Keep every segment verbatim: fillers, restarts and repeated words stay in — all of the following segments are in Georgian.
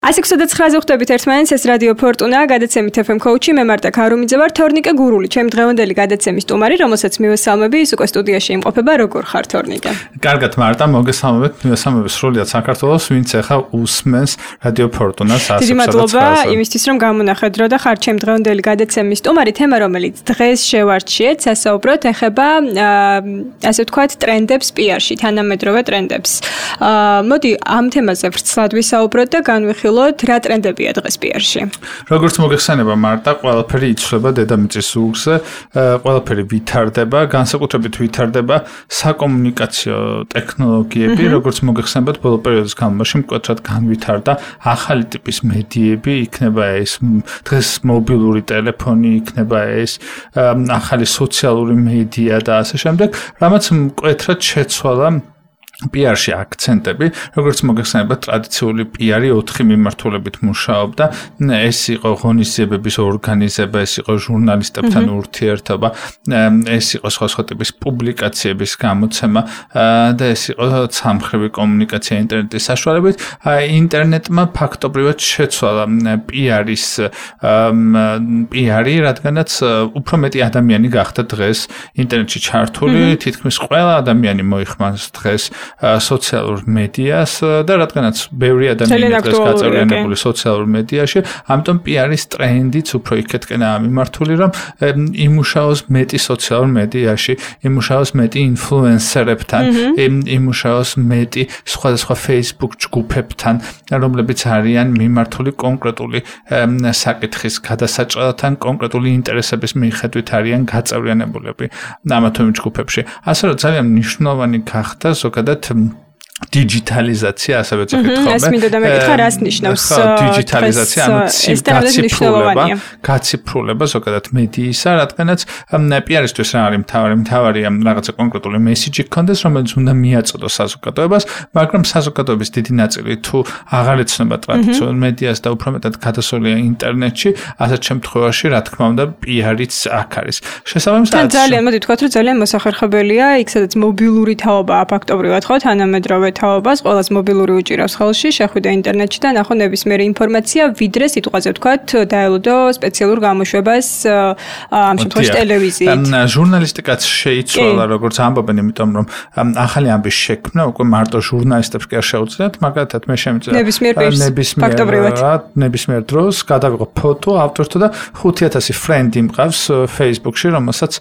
ასი ოცდათხმაზე ხვდებით ერთმანეთს, ეს რადიო ფორტუნა, გადაცემით ეფ ემ კოუჩი, მე მარტა ქარუმიძე ვარ, თორნიკე გურული, ჩემი დღევანდელი გადაცემის სტუმარი, რომელსაც მივესალმები, ის უკვე სტუდიაში იმყოფება, როგორ ხარ თორნიკე? კარგად მარტა, მოგესალმებით, მივესალმებით სრულიად საქართველოს, ვინც ახლა უსმენს რადიო ფორტუნას ასი ოცდათხმაზე. დიდი მადლობა იმისთვის, რომ გამონახეთ დრო და ხარ ჩემი დღევანდელი გადაცემის სტუმარი, თემა რომელიც დღეს შევარჩიეთ, სასაუბროთ ეხება ასე ვთქვათ, ტრენდებს პი არში, თანამედროვე ტრენდებს. მოდი ამ თემაზე ვრცლად ვისაუბროთ და განვიხილოთ, რა ტრენდებია დღეს პი არში. როგორც მოგეხსენება მარტა, ყველაფერი იცვლება დედამიწის ზურგზე, ყველაფერი ვითარდება, განსაკუთრებით ვითარდება საკომუნიკაციო ტექნოლოგიები, როგორც მოგეხსენებათ, ბოლო პერიოდის განმავლობაში მკვეთრად განვითარდა ახალი ტიპის მედიები, იქნება ეს დღეს მობილური ტელეფონი, იქნება ეს ახალი სოციალური მედია და ასე შემდეგ, რამაც მკვეთრად შეცვალა პი არში აქცენტები, როგორც მოგეხსენებათ, ტრადიციული პი არი ოთხი მიმართულებით მუშაობდა. ეს იყო ღონისძიებების ორგანიზება, ეს იყო ჟურნალისტებთან ურთიერთობა, ეს იყო სხვა-სხვა ტიპის პუბლიკაციების გამოცემა და ეს იყო ცალმხრივი კომუნიკაცია ინტერნეტის საშუალებით. ინტერნეტმა ფაქტობრივად შეცვალა პი არის პი არი, რადგანაც უფრო მეტი ადამიანი გახდა დღეს ინტერნეტში ჩართული, თითქმის ყველა ადამიანი მოიხმარს დღეს სოციალურ მედიას და რადგანაც ბევრი ადამიანი დღეს გაწევრიანებული სოციალურ მედიაში, ამიტომ პი არის ტრენდიც უფრო იქეთკენაა მიმართული, რომ იმუშაოს მეტი სოციალურ მედიაში, იმუშაოს მეტი ინფლუენსერებთან, იმუშაოს მეტი სხვადასხვა Facebook ჯგუფებთან, რომლებიც არიან მიმართული კონკრეტული საკითხის გადასაჭრელთან, კონკრეტული ინტერესების მიხედვით არიან გაწევრიანებულები ამა თუ იმ ჯგუფებში. ასე რომ ძალიან მნიშვნელოვანი გახდა ზოგადად დიჯიტალიზაცია, ასევე წახით ხოლმე. ეს მინდა და მეკითხა, რას ნიშნავს დიჯიტალიზაცია, ანუ გაციფრულება, გაციფრულება ზოგადად მედიისა, რადგანაც პი არისთვის რა არის მთავარი, მთავარია რაღაცა კონკრეტული მესიჯი გქონდეს, რომელიც უნდა მიაწოდოს საზოგადოებას, მაგრამ საზოგადოების დიდი ნაწილი თუ აღარ ეცნობა ტრადიციულ მედიას და უფრო მეტად გადასულია ინტერნეტში, ასეთ შემთხვევაში, რა თქმა უნდა, პი არიც აქ არის. შესაბამისად, ძალიან მოდი ვთქვათ, რომ ძალიან მოსახერხებელია, იქ სადაც მობილური თაობაა ფაქტობრივად, ხო, თანამედროვე თაობას, ყველას მობილური უჭირავს ხელში, შეხვიდა ინტერნეტში და ნახო ნებისმიერი ინფორმაცია, ვიდრე სიტყვაზე ვთქვათ, დაელოდო სპეციალურ გამოშვებას, ამ შემთხვევაში ტელევიზიით. ჟურნალისტიკაც შეიცვალა, როგორც ამბობენ, იმიტომ რომ ახალი ამბის შექმნა უკვე მარტო ჟურნალისტებს კი არ შეუძლიათ, მაგალითად მე შემიძლია ნებისმიერ ფაქტობრივად ნებისმიერ დროს გადავიღო ფოტო ავტორთა და ხუთი ათასი ფრენდი მყავს Facebook-ში, რომელსაც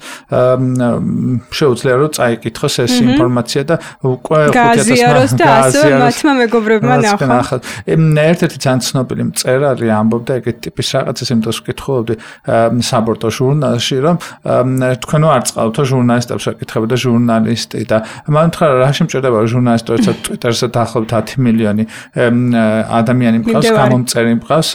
შეუძლია რომ წაიკითხოს ეს ინფორმაცია და უკვე ხუთი ათასი და ასე მათმა მეგობრებმა ნახა. ერთ-ერთი ძალიან ცნობილი მწერალი ამბობდა ეგეთ ტიპის რაღაცას, იმიტომ ვკითხულობდი საბორტო ჟურნალში, რომ თქვენ არ წყავთო ჟურნალისტებს ეკითხებოდა ჟურნალისტი და მან თქვა რა შემჭირდება ჟურნალისტი, როცა Twitter-ზე დაახლოებით ათი მილიონი ადამიანი მყავს, გამომწერი მყავს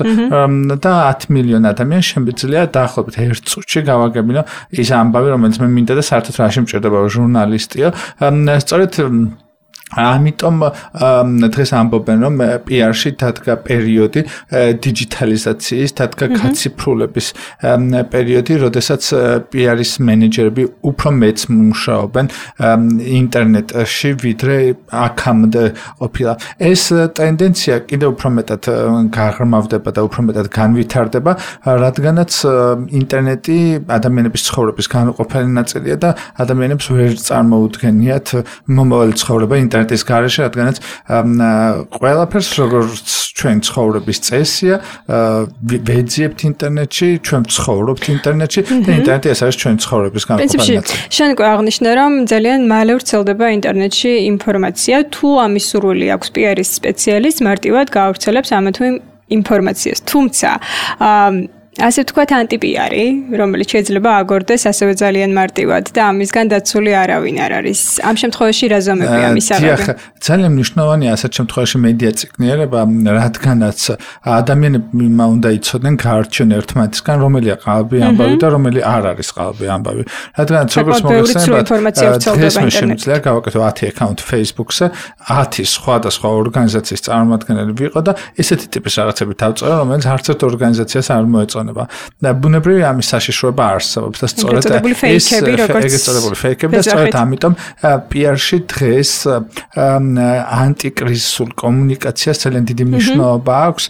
და ათი მილიონი ადამიანი შემიძლია დაახლოებით ერთ წუთში გავაგებინო ის ამბავი, რომელიც მე მინდა და საერთოდ რა შემჭირდება ჟურნალისტიო. სწორედ ამიტომ დღეს ამბობენ, რომ პი არში დადგა პერიოდი დიჯიტალიზაციის, დადგა გაციფრულების პერიოდი, როდესაც პი არის მენეჯერები უფრო მეც მუშაობენ ინტერნეტში, ვიდრე აქამდე ყოფილა. ეს ტენდენცია კიდევ უფრო მეტად გაღრმავდება და უფრო მეტად განვითარდება, რადგანაც ინტერნეტი ადამიანების ცხოვრების განუყოფელი ნაწილია და ადამიანებს ვერ წარმოუდგენიათ მომავალი ცხოვრება ინტერნეტში. ინტერნეტის გარეშე, რადგანაც ყველაფერს როგორც ჩვენ ცხოვრების წესია, ვეძიებთ ინტერნეტში, ჩვენ ცხოვრობთ ინტერნეტში და ინტერნეტი ეს არის ჩვენი ცხოვრების განუყოფელი ნაწილი. შენ უკვე აღნიშნე, რომ ძალიან მალე ვრცელდება ინტერნეტში ინფორმაცია, თუ ამის სურვილი აქვს პი არის სპეციალისტს, მარტივად გაავრცელებს ამა თუ იმ ინფორმაციას. თუმცა ასე ვთქვათ, ანტი-პი არი, რომელიც შეიძლება აგორდეს ასევე ძალიან მარტივად და ამისგან დაცული არავინ არ არის. ამ შემთხვევაში რა ზომებია მის აღება? დიახ, ძალიან მნიშვნელოვანია ასეთ შემთხვევაში მედია წიგნიერება, რადგანაც ადამიანებმა უნდა იცოდნენ გაარჩიონ ერთმანეთისგან, რომელია ყალბი ამბავი და რომელი არ არის ყალბი ამბავი. რადგანაც როგორც მოგეხსენებათ, დღეს მე შემიძლია გავაკეთო ათი აკაუნტი Facebook-ზე, ათი სხვადასხვა ორგანიზაციის წარმომადგენელი ვიყო და ესეთი ტიპის რაღაცები დავწერო, რომელიც არც ერთ ორგანიზაციას არ მოეწონა. მოწონება. და ბუნებრივია ამის საშიშროება არსებობს და სწორედ ეს ეგრეთ წოდებული ფეიქები და სწორედ ამიტომ პი არ-ში დღეს ანტიკრიზისულ კომუნიკაციას ძალიან დიდი მნიშვნელობა აქვს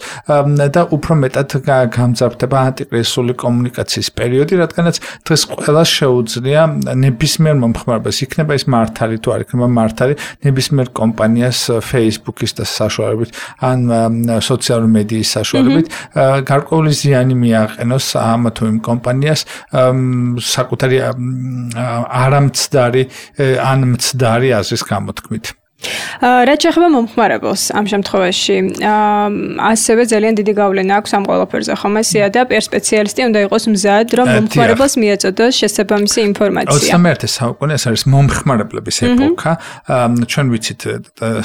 და უფრო მეტად გამძაფრდება ანტიკრიზისული კომუნიკაციის პერიოდი, რადგანაც დღეს ყველას შეუძლია ნებისმიერ მომხმარებელს, იქნება ის მართალი თუ არ იქნება მართალი, ნებისმიერ კომპანიას Facebook-ის და საშუალებით ან სოციალური მედიის საშუალებით გარკვეული ზიანი მიაყენოს ამ თუ იმ კომპანიას საკუთარი არამცდარი ან მცდარი აზრის გამოთქმით. რაც შეეხება მომხმარებელს ამ შემთხვევაში, ასევე ძალიან დიდი გავლენა აქვს ამ ყველაფერზე, ხომ ესეა და პი არ სპეციალისტი უნდა იყოს მზად, რომ მომხმარებელს მიეწოდოს შესაბამისი ინფორმაცია. ოცდამეერთე საუკუნე ეს არის მომხმარებლების ეპოქა. ჩვენ ვიცით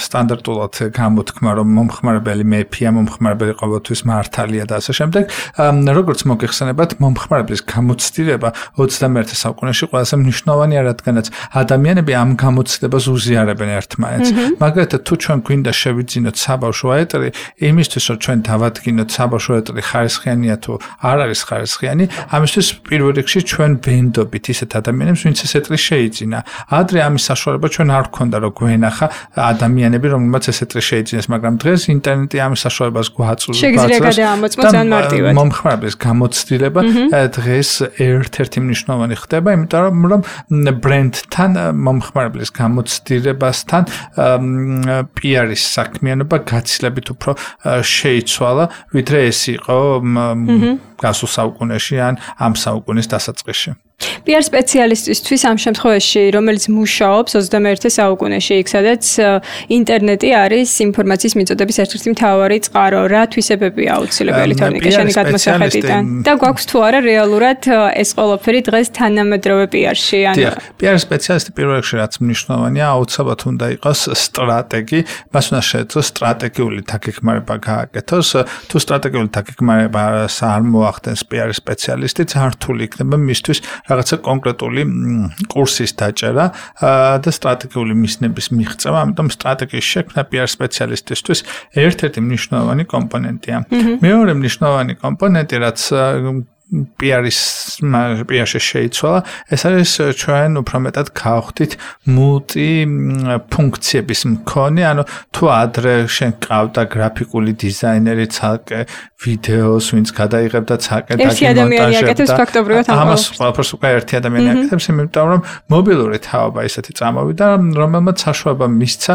სტანდარტულად გამოთქმა, რომ მომხმარებელი მეფია, მომხმარებელი ყოველთვის მართალია და ასე შემდეგ. როგორც მოგეხსენებათ, მომხმარებლის გამოცდილება ოცდამეერთე საუკუნეში ყველაზე მნიშვნელოვანია, რადგანაც ადამიანები ამ გამოცდებას უზიარებენ ერთმანეთს. მაგალითად, თუ ჩვენ გვინდა შევიძინოთ საბავშვო ეტრი, იმისთვის რომ ჩვენ დავადგინოთ საბავშვო ეტრი ხარისხიანია თუ არ არის ხარისხიანი, ამისთვის პირველ რიგში ჩვენ ვენდობით ისეთ ადამიანებს, ვინც ეს ეტრი შეიძინა. ადრე ამის საშუალება ჩვენ არ გვქონდა, რომ გვენახა ადამიანები, რომლებმაც ეს ეტრი შეიძინეს, მაგრამ დღეს ინტერნეტი ამის საშუალებას გვაწვდის. შეგიძლია გადაამოწმოთ ძალიან მარტივად. მომხმარებლის გამოცდილება დღეს ერთ-ერთი მნიშვნელოვანი ხდება, იმიტომ რომ ბრენდთან მომხმარებლის გამოცდილებასთან პი არ-ის საქმიანობა გაცილებით უფრო შეიცვალა, ვიდრე ეს იყო გასულ საუკუნეში ან ამ საუკუნის დასაწყისში. პი არ სპეციალისტისთვის ამ შემთხვევაში, რომელიც მუშაობს ოცდამეერთე საუკუნეში, იქ სადაც ინტერნეტი არის ინფორმაციის მიწოდების ერთ-ერთი მთავარი წყარო, რა თვისებებია აუცილებელი თორნიკე შენი გადმოსახედიდან და გვაქვს თუ არა რეალურად ეს ყველაფერი დღეს თანამედროვე პი არ-ში? პი არ სპეციალისტი პირველ რიგში რაც მნიშვნელოვანია, აუცილებლად უნდა იყოს სტრატეგი, მას უნდა შეეძლოს სტრატეგიული დაგეგმარება გააკეთოს. თუ სტრატეგიული დაგეგმარება არ მოახდენს პი არ სპეციალისტი, ძართული იქნება მისთვის რაღაცა კონკრეტული კურსის დაჭერა და სტრატეგიული მისნების მიღწევა, ამიტომ სტრატეგიის შექმნა პი არ სპეციალისტისთვის ერთ-ერთი მნიშვნელოვანი კომპონენტია. მეორე მნიშვნელოვანი კომპონენტი, რაც პი არ-ის პი არ-ში შეიცვალა, ეს არის ჩვენ უფრო მეტად გავხდით მულტი ფუნქციების მქონე, ანუ თუ ადრე შენ ყავდა გრაფიკული დიზაინერი, ცალკე ვიდეოს, ვინც გადაიღებდა ცალკე დაგიმონტაჟებდა. ამას ყველაფერს უკვე ერთი ადამიანი აკეთებს, იმიტომ რომ მობილური თაობა ისეთი წამოვიდა, რომელმაც საშუალება მისცა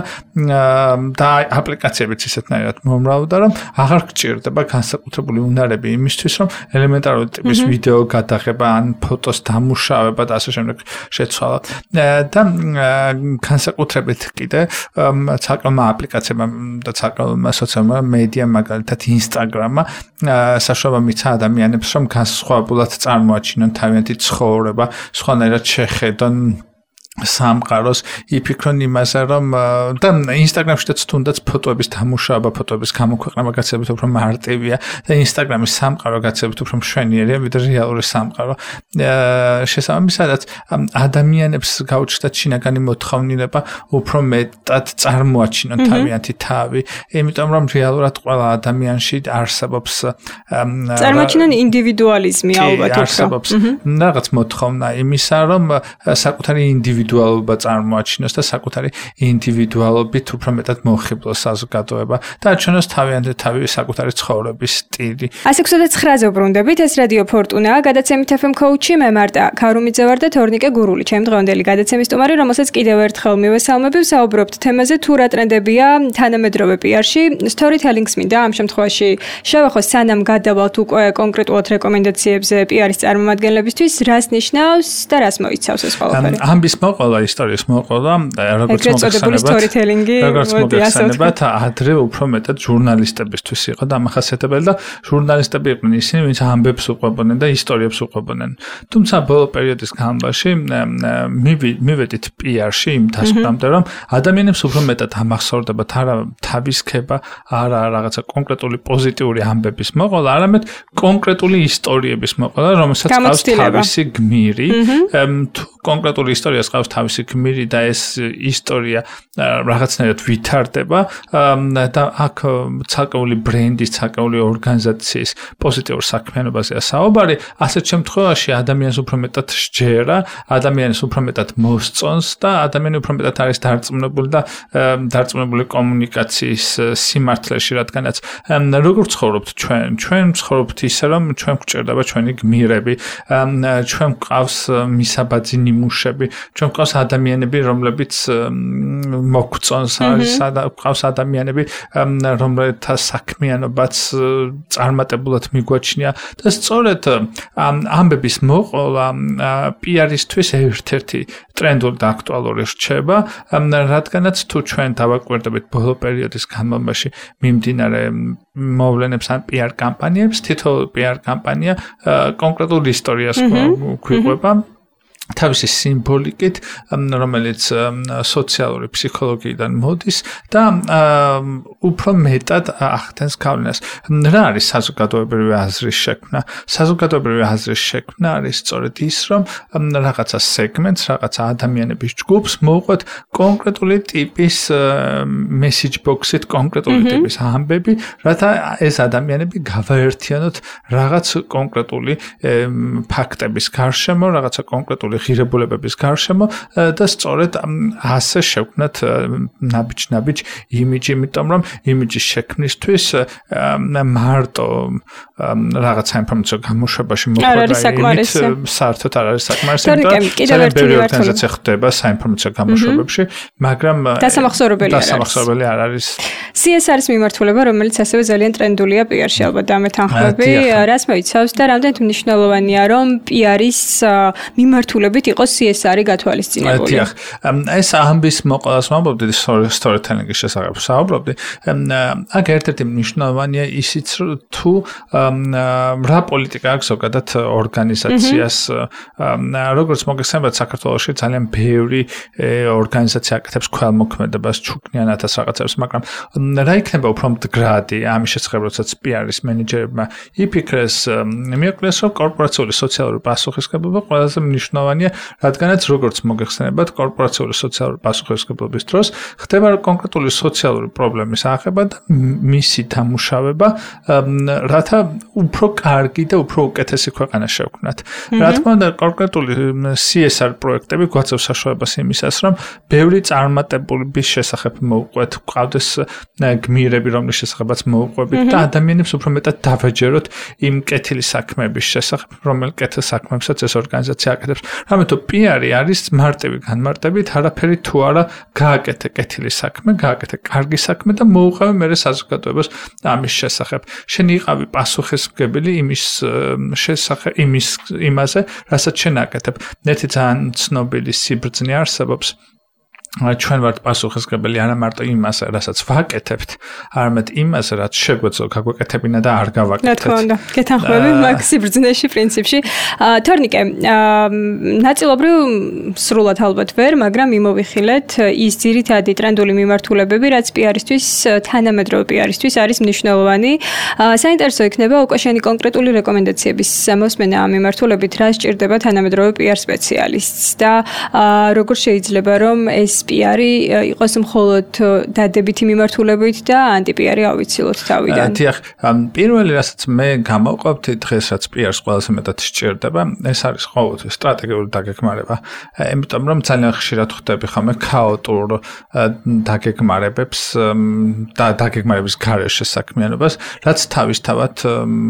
და აპლიკაციებიც ისეთნაირად მომრავლდა, რომ აღარ გჭირდება განსაკუთრებული უნარები იმისთვის, რომ ელემენტარული ტიპის ვიდეო გადაღება ან ფოტოს დამუშავება და ასე შემდეგ შეცვალა. და განსაკუთრებით კიდე ცალკეულმა აპლიკაციებმა და ცალკეულმა სოციალურმა მედიამ, მაგალითად ინსტაგრამმა, საშუალება მიცა ადამიანებს, რომ განსხვავებულად წარმოაჩინონ თავიანთი ცხოვრება, სხვანაირად შეხედონ სამყაროს, იფიქრონ იმაზე, რომ და ინსტაგრამშიც თუნდაც ფოტოების დამუშავება, ფოტოების გამოქვეყნება გაცილებით უფრო მარტივია და ინსტაგრამის სამყარო გაცილებით უფრო მშვენიერია, ვიდრე რეალური სამყარო. შესაბამისად, ადამიანებს გაუჩნდათ შინაგანი მოთხოვნილება უფრო მეტად წარმოაჩინონ თავიანთი თავი, იმიტომ რომ რეალურად ყველა ადამიანში არსებობს წარმოაჩინონ ინდივიდუალიზმი ალბათ არსებობს რაღაც მოთხოვნა იმისა, რომ საკუთარი ინდივიდუალიზმი ინდივიდუალობა წარმოაჩინოს და საკუთარი ინდივიდუალობით უფრო მეტად მოხიბლოს საზოგადოება და აჩვენოს თავიანთი თავი საკუთარი ცხოვრების სტილი. ასე ოცდათხრაზე ვბრუნდებით, ეს რადიო ფორტუნაა, გადაცემით ეფ ემ კოუჩი, მე მარტა ქარუმიძე ვარ და თორნიკე გურული, ჩემი დღევანდელი გადაცემის სტუმარი, რომელსაც კიდევ ერთხელ მივესალმები, ვსაუბრობთ თემაზე თუ რა ტრენდებია თანამედროვე პი არ-ში, სტორითელინგს მინდა ამ შემთხვევაში შევახოს, სანამ გადავალთ უკვე კონკრეტულად რეკომენდაციებზე პი არ-ის წარმომადგენლებისთვის, რას ნიშნავს და რას მოიცავს ეს ყველაფერი? ამბის მოყოლა, ისტორიის მოყოლა, როგორც მოგეხსენებათ, როგორც მოგეხსენებათ, ადრე უფრო მეტად ჟურნალისტებისთვის იყო დამახასიათებელი და ჟურნალისტები იყვნენ ისინი, ვინც ამბებს უყვებოდნენ და ისტორიებს უყვებოდნენ. თუმცა ბოლო პერიოდის განმავლობაში მივედით პი არ-ში იმ დასკვნამდე, რომ ადამიანებს უფრო მეტად ამახსოვრდებათ არა თავის ქება, არა რაღაცა კონკრეტული პოზიტიური ამბების მოყოლა, არამედ კონკრეტული ისტორიების მოყოლა, რომელსაც ყავს თავისი გმირი. თუ კონკრეტული ისტორიას ყავს აკრავს თავისი გმირი და ეს ისტორია რაღაცნაირად ვითარდება და აქ ცალკეული ბრენდის, ცალკეული ორგანიზაციის პოზიტიურ საქმიანობაზეა საუბარი, ასეთ შემთხვევაში ადამიანს უფრო მეტად სჯერა, ადამიანს უფრო მეტად მოსწონს და ადამიანი უფრო მეტად არის დარწმუნებული და დარწმუნებული კომუნიკაციის სიმართლეში, რადგანაც როგორ ცხოვრობთ ჩვენ? ჩვენ ცხოვრობთ ისე, რომ ჩვენ გვჭირდება ჩვენი გმირები, ჩვენ გვყავს მისაბაძი ნიმუშები, ჩვენ გვყავს ადამიანები, რომლებიც მოგწონს, არის გვყავს ადამიანები, რომლებთა საქმიანობაც წარმატებულად მიგვაჩნია და სწორედ ამბების მოყოლა პი არ-ისთვის ერთ-ერთი ტრენდული და აქტუალური რჩება, რადგანაც თუ ჩვენ დავაკვირდებით ბოლო პერიოდის განმავლობაში მიმდინარე მოვლენებს ან პი არ კამპანიებს, თითოეული პი არ კამპანია კონკრეტულ ისტორიას გვიყვება თავისი სიმბოლიკით, რომელიც სოციალური ფსიქოლოგიიდან მოდის და უფრო მეტად ახდენს გავლენას. რა არის საზოგადოებრივი აზრის შექმნა? საზოგადოებრივი აზრის შექმნა არის სწორედ ის, რომ რაღაცა სეგმენტს, რაღაცა ადამიანების ჯგუფს მოუყვეთ კონკრეტული ტიპის message box-ით, კონკრეტული ტიპის ამბები, რათა ეს ადამიანები გავაერთიანოთ რაღაც კონკრეტული ფაქტების გარშემო, რაღაცა კონკრეტული ღირებულებების გარშემო და სწორედ ასე შევქმნათ ნაბიჯ-ნაბიჯ იმიჯი, იმიტომ რომ იმიჯის შექმნისთვის მარტო რაღაცა ინფორმაცია გამოშვებაში მოხდა იმით საერთოდ არ არის საკმარისი, იმიტომ რომ ბევრი ორგანიზაცია ხდება საინფორმაციო გამოშვებებში, მაგრამ დასამახსოვრებელი არ არის. დასამახსოვრებელი არ არის. სი ეს არის მიმართულება, რომელიც ასევე ძალიან ტრენდულია პი არ-ში, ალბათ დამეთანხმები, რაც მოიცავს და რამდენად მნიშვნელოვანია, რომ პი არ-ის მიმართულებით იყოს სი ეს არი გათვალისწინებული. დიახ, ეს ამბის მოყოლას ვამბობდი storytelling-ის შესახებ საუბრობდი. აქ ერთ-ერთი მნიშვნელოვანია ისიც, თუ რა პოლიტიკა აქვს ზოგადად ორგანიზაციას, როგორც მოგეხსენებათ, საქართველოში ძალიან ბევრი ორგანიზაცია აკეთებს ქველმოქმედებას, ჩუქნიანათას რაღაცებს, მაგრამ რა იქნება უფრო მდგრადი ამის შესახებ, როდესაც პი არ-ის მენეჯერებმა იფიქრეს, მიაკვლიეს, რომ კორპორაციული სოციალური პასუხისმგებლობა ყველაზე მნიშვნელოვანია, რადგანაც როგორც მოგეხსენებათ, კორპორაციული სოციალური პასუხისმგებლობის დროს ხდება კონკრეტული სოციალური პრობლემის აღება და მისი დამუშავება, რათა უფრო კარგი და უფრო უკეთესი ქვეყანა შევქმნათ. რა თქმა უნდა, კონკრეტული სი ეს არ პროექტები გვაწევს საშუალებას იმისას, რომ ბევრი წარმატებულების შესახებ მოუყვეთ, გვყავდეს გმირები, რომლის შესახებაც მოუყვებით და ადამიანებს უფრო მეტად დავაჯეროთ იმ კეთილი საქმეების შესახებ, რომელ კეთილ საქმეებსაც ეს ორგანიზაცია აკეთებს. რამე თუ პი არ არის მარტივი განმარტებით, არაფერი თუ არა გააკეთე კეთილი საქმე, გააკეთე კარგი საქმე და მოუყავე მერე საზოგადოებას ამის შესახებ. შენ იყავი პასუხისმგებელი იმის შესახებ, იმის იმაზე, რასაც შენ აკეთებ. ერთი ძალიან ცნობილი სიბრძნე არსებობს. ჩვენ ვართ პასუხისმგებელი არა მარტო იმას, რასაც ვაკეთებთ, არამედ იმას, რაც შეგვეძლო გაგვეკეთებინა და არ გავაკეთეთ. რა თქმა უნდა, გეთანხმები მაგ სიბრძნეში პრინციპში. თორნიკე, ნაწილობრივ სრულად ალბათ ვერ, მაგრამ მიმოვიხილეთ ის ძირითადი ტრენდული მიმართულებები, რაც პი არ-ისთვის, თანამედროვე პი არ-ისთვის არის მნიშვნელოვანი. საინტერესო იქნება უკვე შენი კონკრეტული რეკომენდაციების მოსმენა ამ მიმართულებით, რა სჭირდება თანამედროვე პი არ სპეციალისტს და როგორ შეიძლება რომ ეს პი არი იყოს მხოლოდ დადებითი მიმართულებით და ანტი-პი არი ავიცილოთ თავიდან. დიახ, პირველი რასაც მე გამოვყავთ დღეს რაც პი არს ყველაზე მეტად სჭირდება, ეს არის ყოველთვის სტრატეგიული დაგეგმარება. იმიტომ რომ ძალიან ხშირად ხვდები ხომ ქაოტურ დაგეგმარებებს და დაგეგმარების გარეშე საქმიანობას, რაც თავისთავად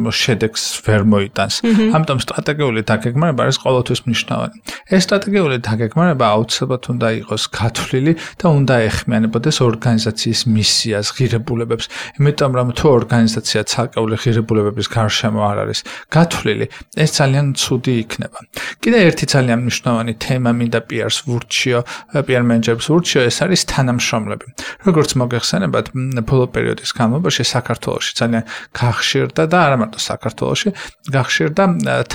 შედეგს ვერ მოიტანს. ამიტომ სტრატეგიული დაგეგმარება არის ყოველთვის მნიშვნელოვანი. ეს სტრატეგიული დაგეგმარება აუცილებლად უნდა იყოს გათვლილი და უნდა ეხმიანებოდეს ორგანიზაციის მისიას, ღირებულებებს. იმიტომ რომ თუ ორგანიზაცია ცალკეული ღირებულებების გარშემო არ არის გათვლილი, ეს ძალიან ცუდი იქნება. კიდე ერთი ძალიან მნიშვნელოვანი თემა მინდა პი არს ვურჩიო, პი არ მენეჯერებს ვურჩიო, ეს არის თანამშრომლები. როგორც მოგეხსენებათ, ბოლო პერიოდის განმავლობაში საქართველოში ძალიან გახშირდა და არა მარტო საქართველოში, გახშირდა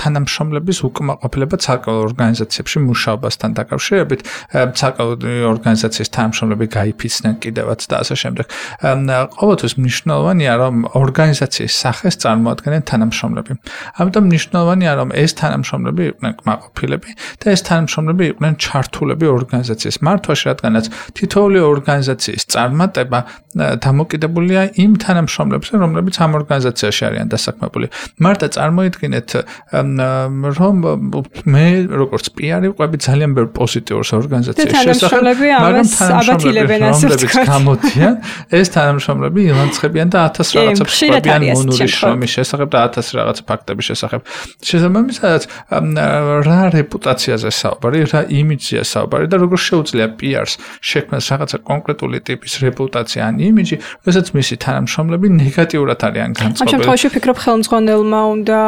თანამშრომლების უკმაყოფილება ცალკეულ ორგანიზაციებში მუშაობასთან დაკავშირებით, ცალკეულ ორგანიზაციის თანამშრომლები გაიფიცნენ კიდევაც და ასე შემდეგ. ყოველთვის მნიშვნელოვანია, რომ ორგანიზაციის სახეს წარმოადგენენ თანამშრომლები. ამიტომ მნიშვნელოვანია, რომ ეს თანამშრომლები იყვნენ კმაყოფილები და ეს თანამშრომლები იყვნენ ჩართულები ორგანიზაციის მართვაში, რადგანაც თითოეული ორგანიზაციის წარმატება დამოკიდებულია იმ თანამშრომლებზე, რომლებიც ამ ორგანიზაციაში არიან დასაქმებული. მარტო წარმოიდგინეთ, რომ მე როგორც პიარი ვყვები ძალიან ბევრ პოზიტიურს ორგანიზაციის შესახებ, მაგრამ თანამშრომლები, რომლებიც გამოდიან, ეს თანამშრომლები ილანცხებიან და ათას რაღაცა ვყვებიან მონურის შრომის შესახებ და ათას რაღაცა ფაქტების შესახებ. შესაბამისად, რა რეპუტაციაზე საუბარი, რა იმიჯზეა საუბარი და როგორ შეუძლია პიარს შექმნას რაღაცა კონკრეტული ტიპის რეპუტაცია ან იმიჯი, როდესაც მისი თანამშრომლები ნეგატიურად არიან განწყობილი. ამ შემთხვევაში ვფიქრობ, ხელმძღვანელმა უნდა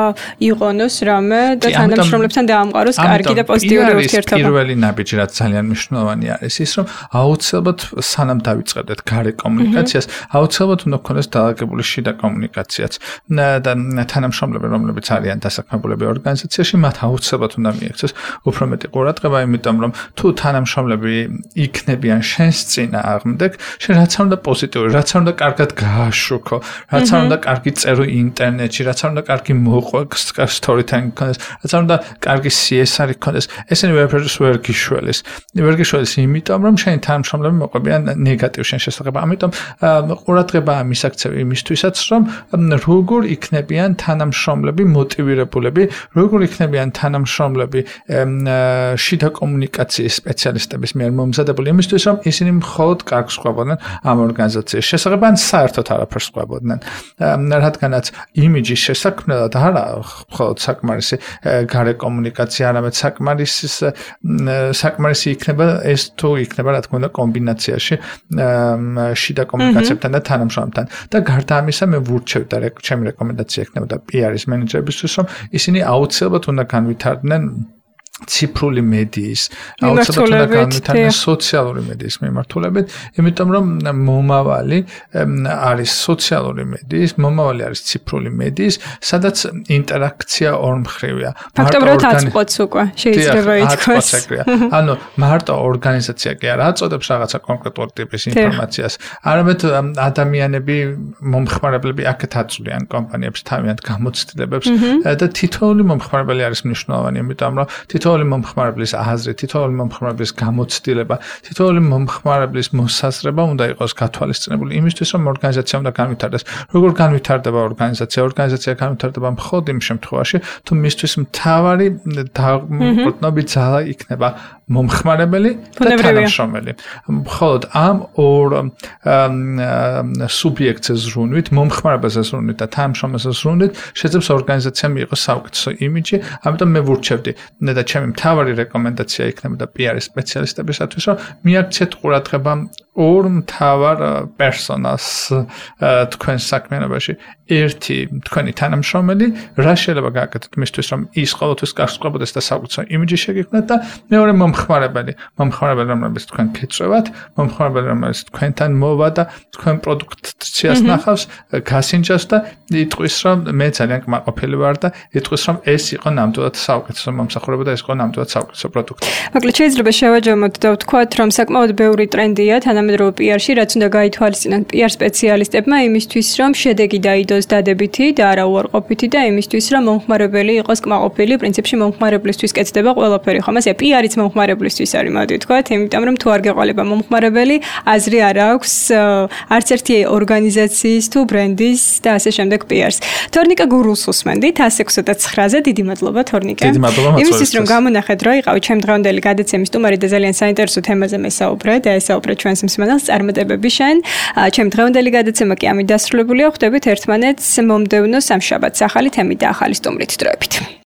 იყონოს რამე და თანამშრომლებთან დაამყაროს კარგი და პოზიტიური ურთიერთობა. პირველი ნაბიჯი, რაც ძალიან მნიშვნელოვანი არის, ის რომ აუცილებლად სანამ დავიწყებდეთ გარე კომუნიკაციას, აუცილებლად უნდა გქონდეს დაალაგებული შიდა კომუნიკაციაც და თანამშრომლები, რომლებიც არიან დასაქმებულები ორგანიზაციაში, მათ აუცილებლად უნდა მიექცეს უფრო მეტი ყურადღება, იმიტომ რომ თუ თანამშრომლები იქნებიან შენს წინააღმდეგ, შენ რაც არ უნდა პოზიტიური, რაც არ უნდა კარგად გააშუქო, რაც არ უნდა კარგი წერო ინტერნეტში, რაც არ უნდა კარგი მოყვა storytelling ქონდეს, რაც არ უნდა კარგი C S R ქონდეს, ესენი ვერაფერს ვერ გიშველის. ვერ გიშველის იმიტომ, რომ შენი თანამშრომლები მოყვებიან ნეგატივ შენ შესახებ. ამიტომ ყურადღებაა მისაქცევი იმისთვისაც, რომ როგორ იქნებიან თანამშრომლები მოტივირებულები, როგორ იქნებიან თანამშრომლები შიდა კომუნიკაციის სპეციალისტების მიერ მომზადებული იმისთვის, რომ ისინი მხოლოდ კარგს ყვებოდნენ ამ ორგანიზაციის შესახებ, ან საერთოდ არაფერს ყვებოდნენ. რადგანაც იმიჯის შესაქმნელად არა მხოლოდ საკმარისი გარე კომუნიკაცია, არამედ საკმარისი საკმარისი იქნება ეს თუ იქნება რა თქმა უნდა კომბინაციაში შიდა კომუნიკაციებთან და თანამშრომლებთან. და გარდა ამისა მე ვურჩევ და ჩემი რეკომენდაცია იქნებოდა პიარის მენეჯერებისთვის, რომ ისინი აუცილებლად უნდა განვითარდნენ ციფრული მედიის, აუცილებლად უნდა განვითარდნენ სოციალური მედიის მიმართულებით, იმიტომ რომ მომავალი არის სოციალური მედიის, მომავალი არის ციფრული მედიის, სადაც ინტერაქცია ორმხრივია. ფაქტობრივად აწყვეტს უკვე, შეიძლება ითქვას. ანუ მარტო ორგანიზაცია კი არ აწოდებს რაღაცა კონკრეტულ ტიპის ინფორმაციას, არამედ ადამიანები, მომხმარებლები აქეთ აწვდიან კომპანიებს თავიანთ გამოცდილებებს და თითოეული მომხმარებელი არის მნიშვნელოვანი, იმიტომ რომ თითოეული მომხმარებლის აზრი, თითოეული მომხმარებლის გამოცდილება, თითოეული მომხმარებლის მოსაზრება უნდა იყოს გათვალისწინებული იმისთვის, რომ ორგანიზაცია უნდა განვითარდეს. როგორ განვითარდება ორგანიზაცია? ორგანიზაცია განვითარდება მხოლოდ იმ შემთხვევაში, თუ მისთვის მთავარი დაყრდნობი ძალა იქნება მომხმარებელი და თანამშრომელი. მხოლოდ ამ ორ სუბიექტზე ზრუნვით, მომხმარებელზე ზრუნვით და თანამშრომელზე ზრუნვით შეძლებს ორგანიზაციამ მიიღოს საუკეთესო იმიჯი, ამიტომ მე ვურჩევდი და ჩემი მთავარი რეკომენდაცია იქნებოდა პიარის სპეციალისტებისათვის, რომ მიაქციეთ ყურადღება ორ მთავარ პერსონას თქვენ საქმიანობაში. ერთი თქვენი თანამშრომელი, რა შეიძლება გააკეთოთ მისთვის, რომ ის ყოველთვის კარგს ყვებოდეს და საუკეთესო იმიჯი შეგიქმნათ და მეორე მომხმარებელი, მომხმარებელი რომელსაც თქვენ ფიცრევათ, მომხმარებელი რომელსაც თქვენთან მოვა და თქვენ პროდუქციას ნახავს, გასინჯავს და იტყვის, რომ მე ძალიან კმაყოფილი ვარ და იტყვის, რომ ეს იყო ნამდვილად საუკეთესო მომსახურება და ეს იყო ნამდვილად საუკეთესო პროდუქტი. მოკლედ შეიძლება შევაჯამოთ და ვთქვათ, რომ საკმაოდ ბევრი ტრენდია თანამედროვე პიარში, რაც უნდა გაითვალისწინოთ პიარ სპეციალისტებმა იმისთვის, რომ შედეგი დაიდოს დადებითი და არა უარყოფითი და იმისთვის, რომ მომხმარებელი იყოს კმაყოფილი, პრინციპში მომხმარებლისთვის კეთდება ყველაფერი, ხომ ასე პიარიც მომხმარებლისთვის არის, მოდი ვთქვათ, იმიტომ რომ თუ არ გეყოლება მომხმარებელი, აზრი არ აქვს არც ერთი ორგანიზაციის თუ ბრენდის და ასე შემდეგ პიარს. თორნიკა გურულს უსმენდით ათას ექვსმოცდაცხრაზე, დიდი მადლობა თორნიკა. დიდი მადლობა მოწვევისთვის. იმისთვის რომ გამონახეთ რა იყავით ჩემ დღევანდელი გადაცემის სტუმარი და ძალიან საინტერესო თემაზე მესაუბრე და ესაუბრე ჩვენს მსმენელს წარმატებები შენ. ჩემ დღევანდელი გადაცემა კი ამით დასრულებულია. ხვდებით ერთმანეთს მომდევნო სამშაბათს ახალი თემით და ახალი სტუმრით დროებით.